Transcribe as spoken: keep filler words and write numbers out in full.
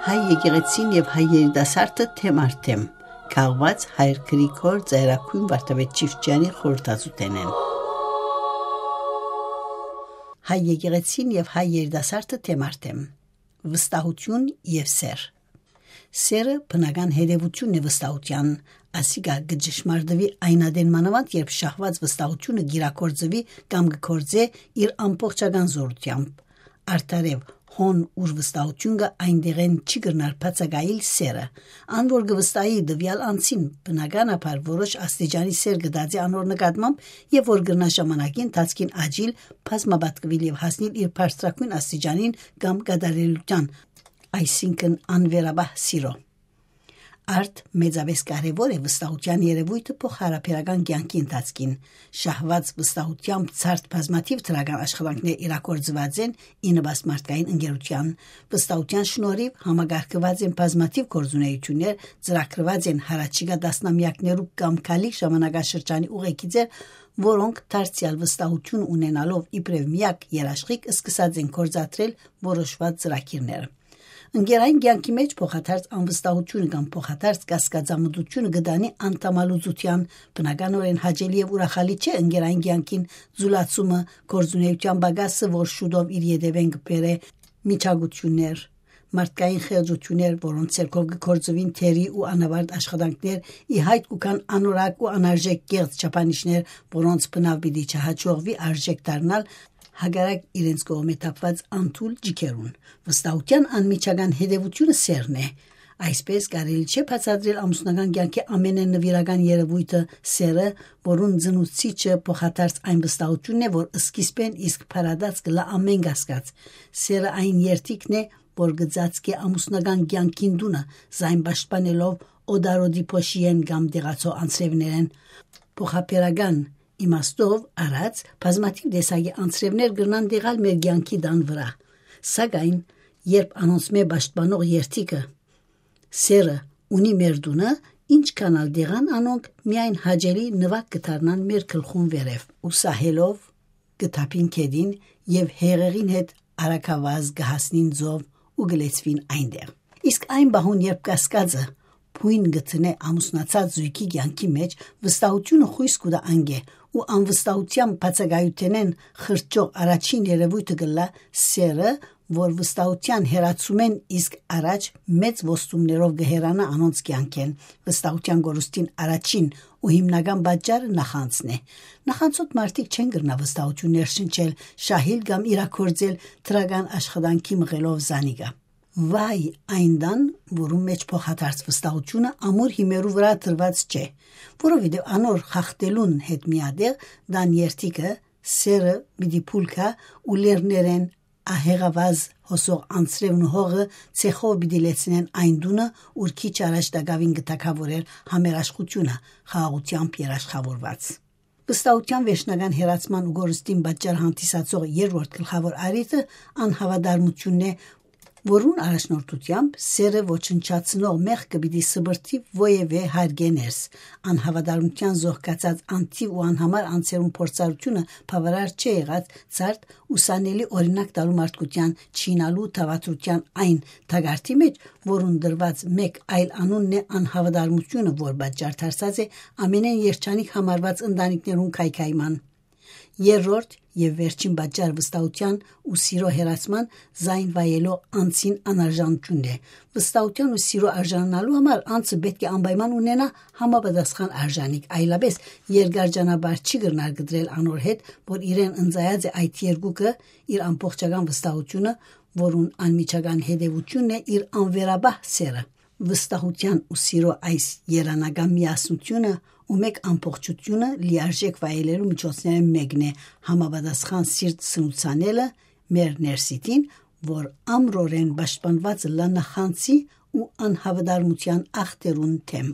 Հայ եկեղեցին եւ հայ երիտասարդը թեմ առ թեմ, քաղուած հայր Գրիգոր Ծայրագոյն Վարդապետ Չիֆճեանի խորհրդածութենէն։ Հայ եկեղեցին եւ հայ երիտասարդը թեմ առ թեմ, վստահութիւն եւ սեր։ Սերը բնական հետեւութիւնն է վստահութեան, ասիկա կը ճշմարտուի այն ատեն մանաւանդ, երբ շահուած վստահութիւնը կիրագործուի կամ կը գործէ իր ամբողջական զօրութեամբ։ Արդարեւ, հոն ուր վստահութիւն կայ, այնտեղէն չի կրնար բացակայիլ սերը։ Ան որ կը վստահի տուեալ անձին, բնականաբար որոշ աստիճանի սեր կը տածի անոր նկատմամբ եւ որ կրնայ ժամանակի ընթացքին աճիլ բազմապատկուիլ եւ հասնիլ իր բարձրագոյն աստիճանին կամ կատարելութեան, այսինքն անվերապահ սիրո։ Արդ մեծապէս կարեւոր է վստահութեան երեւոյթը փոխհարաբերական կեանքի ընթացքին։ Շահուած վստահութեամբ ցարդ բազմաթիւ դրական աշխատանքներ իրագործուած են ի նպաստ մարդկային ընկերութեան։ Վստահութեան շնորհիւ համակարգուած են բազմաթիւ գործունեութիւններ, ծրագրուած են յառաջիկայ տասնամեակներու կամ գալիք ժամանակաշրջանի ուղեգիծեր, որոնք դարձեալ վստահութիւն ունենալով իբրեւ միակ երաշխիք, սկսած են գործադրել որոշուած ծրագիրներ։ Ընկերային կեանքի մէջ փոխադարձ անվստահութիւնը կամ փոխադարձ կասկածամտութիւնը կը տանի անդամալուծութեան։ Բնականօրէն հաճելի եւ ուրախալի չէ ընկերային կեանքին ձուլացումը, գործունեութեան պակասը, որ շուտով իր ետեւէն կը բերէ միջագութիւններ, մարդկային խեղճութիւններ, որոնց ձեռքով կը գործուին թերի ու անավարտ աշխատանքներ, ի յայտ կու գան անորակ ու անարժէք կեղծ չափանիշներ, որոնց բնաւ պիտի չհաջողուի արժէք դառնալ, հակառակ իրենց կողմէ թափուած անթույլ ջիքերուն։ Վստահութեան անմիջական հետեւութիւնը սերն է։ Այսպէս կարելի չէ բացատրել ամուսնական կեանքի ամենէն նուիրական երեւոյթը՝ սերը, որուն ծնուցիչը փոխադարձ այն վստահութիւնն է, որ սկիզբէն իսկ փարատած կ'ըլլայ ամէն կասկած։ Սերը այն երդիքն է, որ կը ծածկէ ամուսնական կեանքին տունը, զայն պաշտպանելով օտարոդի փոշիէն կամ դեղացող անձրեւներէն։ Փոխաբերական իմաստով առած, բազմաթիւ տեսակի անձրեւներ կրնան դեղալ մեր կեանքի տան վրայ, սակայն երբ անոնցմէ պաշտպանող երդիքը, սերը, ունի մեր տունը, ինչքան ալ դեղան անոնք, միայն հաճելի նուակ կը դառնան մեր գլխուն վերեւ ու սահելով կը թափին գետին եւ հեղեղին հետ արագավազ կը հասնին ծով ու կը լեցուին այնտեղ։ Իսկ այն պահուն, երբ կասկածը բոյն կը դնէ ամուսնացած զոյգի կեանքի մէջ, վստահութիւնը խոյս կու տայ անկէ ու անվստահութեան բացակայութենէն խրճող առաջին երեւոյթը կ'ըլլայ սերը, որ վստահութեան հեռացումէն իսկ առաջ մեծ ոստումներով կը հեռանայ անոնց կեանքէն։ Վստահութեան կորուստին առաջին ու հիմնական պատճառը նախանձն է։ Նախանձոտ մարդիկ չեն կրնայ վստահութիւններ շնչել, շահիլ կամ իրագործել դրական աշխատանքի մղելով զանիկա։ Վայ այն տան, որուն մէջ փոխադարձ վստահութիւնը ամուր հիմերու վրայ դրուած չէ, որովհետեւ անոր խախտելուն հետ միատեղ տան երդիքը, սերը պիտի փուլ գայ ու լեռներէն ահեղավազ հոսող անձրեւն ու հողը ցեխով պիտի լեցնեն այն տունը, ուր քիչ առաջ տակաւին կը թագաւորէր համերաշխութիւնը, խաղաղութեամբ երաշխաւորուած։ Վստահութեան վերջնական հեռացման ու կորուստին պատճառ հանդիսացող երրորդ գլխաւոր առիթը անհաւատարմութիւնն է, որուն առաջնորդութեամբ սերը ոչնչացնող մեղքը պիտի սպրդի ոեւէ հարկէ ներս։ Անհաւատարմութեան զոհկացած անթիւ ու անհամար անձերուն փորձառութիւնը բաւարար չէ եղած ցարդ ուսանելի օրինակ տալու մարդկութեան, չիյնալու դաւադրութեան այն թակարդի մէջ, որուն դրուած մէկ այլ անունն է անհաւատարմութիւնը, որ պատճառ դարձած է ամենէն երջանիկ համարուած ընտանիքներուն քայքայման։ Երրորդ եւ վերջին պատճառ վստահութեան ու սիրո հեռացման զայն վայելող անձին անարժանութիւնն է։ Վստահութեան ու սիրո արժանանալու համար անձը պէտք է անպայման ունենայ համապատասխան արժանիք, այլապէս երկար ճանապարհ չի կրնար կտրել անոր հետ, որ իրեն ընծայած է այդ երկուքը, իր ամբողջական վստահութիւնը, որուն անմիջական հետեւութիւնն է իր անվերապահ սերը։ Վստահութեան ու սիրո այս երանական միասնութիւնը ու մէկ ամբողջութիւնը լիարժեք վայելելու միջոցներէն մէկն է համապատասխան սիրտ սնուցանելը մեր ներսիտին, որ ամրորեն պաշտպանուած ըլլայ նախանձի ու անհաւատարմութեան ախտերուն դէմ։